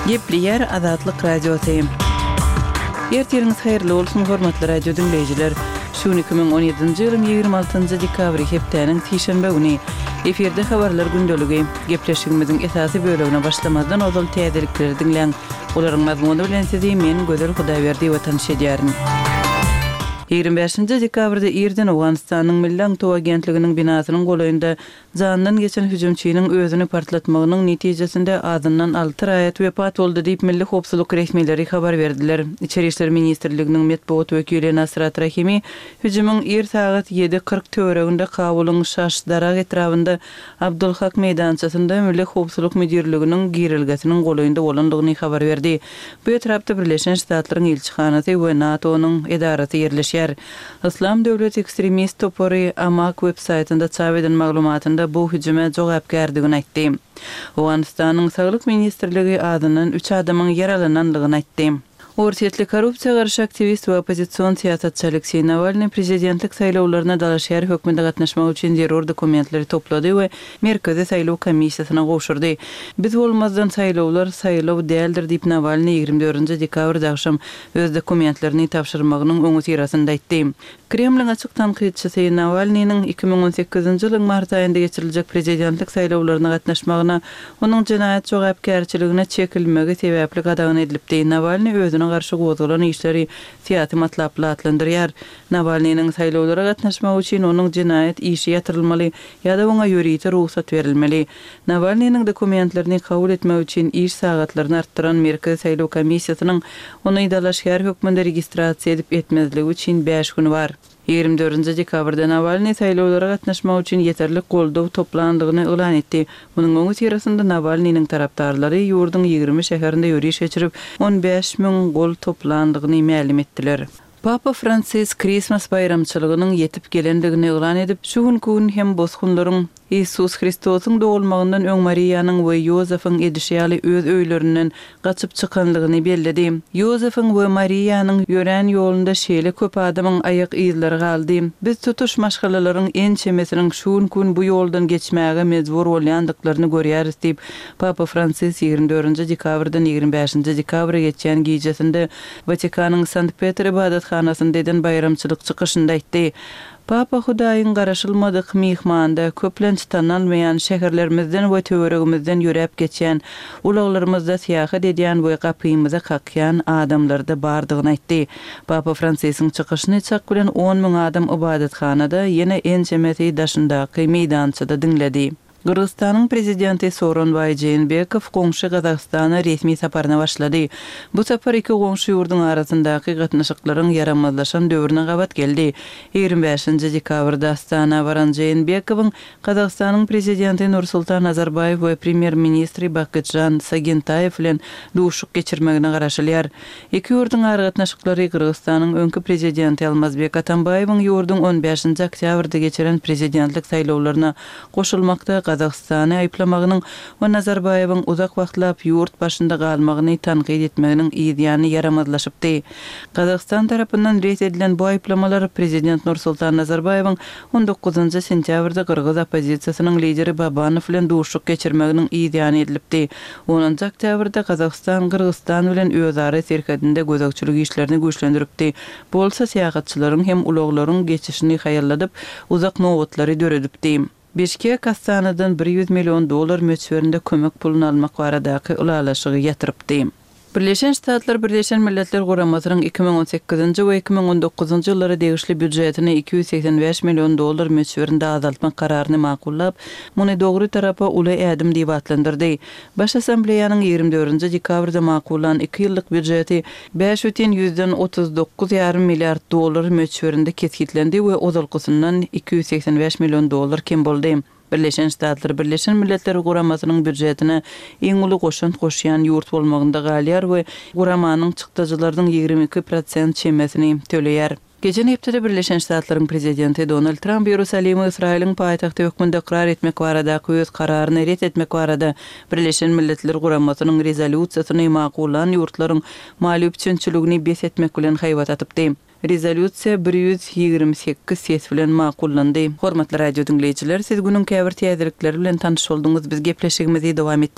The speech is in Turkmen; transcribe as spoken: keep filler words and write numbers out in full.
Gepleýär Azatlyk Radiosy. Ertiriňiz haýyrly bolsun, hormatly radio diňleýjiler. Şu gün iki müň on ýedinji ýylyň ýigrimi altynjy dekabry, hepdäniň sişenbe güni. Efirde habarlar gündeligi. Gepleşigimiziň esasy bölegine başlamazdan ozal täzelikleri diňläň. Olaryň mazmuny bilen sizi men, Gözel Hudaýberdiýewa tanyş edýärin. Ýigrimi bäşinji dekabrda irden Owganystanyň Milli aňtaw agentliginiň binasynyň golaýynda janyndan geçen hüjümçiniň özüni partlatmagynyň netijesinde azyndan alty raýat wepat boldy diýip, milli howpsuzlyk resmileri habar berdiler. Içeri işler ministrliginiň metbugat wekili Nasrat Rahimi hüjümiň ir sagat ýedi kyrk töwereginde Kabulyň Şaş Darag etrabynda Abdulhak meýdançasynda Milli howpsuzlyk müdirliginiň girelgesiniň golaýynda bolandygyny habar berdi. Bu etrapda Birleşen Ştatlaryň ilçihanasy we NATO-nyň edarasy ýerleşýär. Yslam döwleti ekstremist topary Amaq web-saýtynda çap eden maglumatynda bu hüjüme jogapkärdigini aýtdy. Owganystanyň Saglyk ministrligi azyndan üç adamyň ýaralanandygyny aýtdy. Orsýetli korrupsiýa garşy aktiwist we oppozision syýasatçy Alekseý Nawalnyý prezidentlik saýlawlaryna dalaşgär hökmünde gatnaşmak üçin zerur dokumentleri toplady we Merkezi saýlaw komissiýasyna gowşurdy. Biz bolmazdan saýlawlar saýlaw däldir diýip Nawalnyý ýigrimi dördünji dekabrda agşam öz dokumentlerini tabşyrmagynyň öňüsyrasynda aýtdy. Kremliň açyk tankytçysy Nawalnynyň iki müň on sekizinji ýylyň mart aýynda geçiriljek prezidentlik saýlawlaryna gatnaşmagyna onuň jenaýat jogapkärçiligine çekilmegi sebäpli gadagan edilipdi. Nawalnyý özüne garşy gozgalan işleri syýasy matlaply atlandyrýar. Nawalnynyň saýlawlara gatnaşmagy üçin onuň jenaýat işi ýatyrylmaly ýa-da oňa ýörite rugsat berilmeli. Nawalnynyň dokumentlerini kabul etmek üçin iş sagatlaryny artdyran Merkezi saýlaw komissiýasynyň ony dalaşgär hökmünde registrasiýa edip etmezligi üçin bäş güni bar. Ýigrimi dördünji dekabrda Nawalnyý saýlawlara gatnaşmak üçin ýeterlik goldaw toplandygyny yglan etdi. Munuň öňüsyrasynda Nawalnynyň tarapdarlary ýurduň ýigrimi şäherinde ýöriş geçirip, on bäş müň gol toplandygyny mälim etdiler. Papa Fransis Krismas baýramçylygynyň ýetip gelendigini yglan edip, şu günki gün hem bosgunlaryň Iisus Hristosyň dogulmagyndan öň Mariýanyň we Ýozefyň edişi ýaly öz öýlerinden gaçyp çykanlygyny belledi. Ýozefyň we Mariýanyň ýörän ýolunda şeýle köp adamyň aýak yzlary galdy. Biz tutuş maşgalalaryň ençemesiniň şu günki gün bu ýoldan geçmäge mejbur bolýandyklaryny görýäris diýip, Papa Fransis ýigrimi dördünji dekabrdan ýigrimi bäşinji dekabra geçýän gijesinde Watikanyň Sankt-Petr ybadathanasynda eden baýramçylyk çykyşynda aýtdy. Papa Hudaýyň garaşylmadyk myhmanda köplenç tanalmaýan şäherlerimizden we töweregimizden ýöräp geçýän, ulaglarymyzda syýahat edýän we gapymyza kakýan adamlarda bardygyny aýtdy. Papa Fransisiň çykyşyny çak bilen on müň adam ybadathanada, ýene ençemesi daşyndaky meýdançada diňledi. Gyrgyzystanyň prezidenti Sooronbaý Jeenbekow goňşy Gazagystana resmi saparyna başlady. Bu sapar iki goňşy ýurduň arasyndaky gatnaşyklaryň ýaramazlaşan döwrüne gabat geldi. Ýigrimi bäşinji dekabrda Astana baran Jeenbekowyň Gazagystanyň prezidenti Nursultan Nazarbaýew we premýer-ministri Bakytžan Sagyntaýew bilen duşuşyk geçirmegine garaşylýar. Iki ýurduň aragatnaşyklary Gyrgyzystanyň öňki prezidenti Almazbek Atambaýewiň ýurduň on bäşinji oktýabrda geçiren prezidentlik saýlawlaryna goşulmakda Gazagystany aýyplamagynyň we Nazarbaýewiň uzak wagtlap ýurt başynda galmagyny tankyt etmeginiň yz ýany ýaramazlaşypdy. Gazagystan tarapyndan ret edilen bu aýyplamalar prezident Nursultan Nazarbaýewiň on dokuzynjy sentýabrda gyrgyz oppozisiýasynyň lideri Babanow bilen duşuşyk geçirmeginiň yz ýany edilipdi. Onunjy oktýabrda Gazagystan Gyrgyzystan bilen özara serhedinde gözegçilik işlerini güýçlendiripdi. Bu bolsa syýahatçylaryň hem ulaglaryň geçişini haýalladyp, uzak nobatlary döredipdi. Bişkek Astanadan bir ýüz million dollar möçberinde kömek puluny almak baradaky ylalaşygy ýatyrypdy. Birleşen Ştatlar Birleşen Milletler Guramasynyň iki müň on sekizinji we iki müň on dokuzynjy ýyllara degişli býujetini iki ýüz segsen bäş million dollar möçberinde azaltmak kararyny makullap, muny dogry tarapa uly ädim diýip atlandyrdy. Baş Assambleýanyň ýigrimi dördünji dekabrda makullan iki ýyllyk býujeti bäş bütin ýüzden otuz dokuz ýarym milliard dollar möçberinde kesgitlendi we ozalkysyndan iki ýüz segsen bäş million dollar kem boldy. Birleşen Ştatlar Birleşen Milletler Guramasynyň býujetine iň uly goşant goşýan ýurt bolmagynda galýar we guramanyň çykdajylarynyň ýigrimi iki prosent çemesini töleýär. Geçen hepdede Birleşen Ştatlaryň prezidenti Donald Tramp Ýerusalimi Ysraýylyň paýtagty hökmünde ykrar etmek baradaky öz kararyny ret etmek barada Birleşen Milletler Guramasynyň rezolýusiýasyny makullan ýurtlaryň maliýe üpjünçiligini bes etmek bilen haýbat atypdy. Rezolýusiýa bir ýüz ýigrimi sekiz ses bilen makullandy. Hormatly radio diňleýjiler, siz günüň käbir täzelikleri bilen tanyş bolduňyz. Biz gepleşigimizi dowam etdirýäris.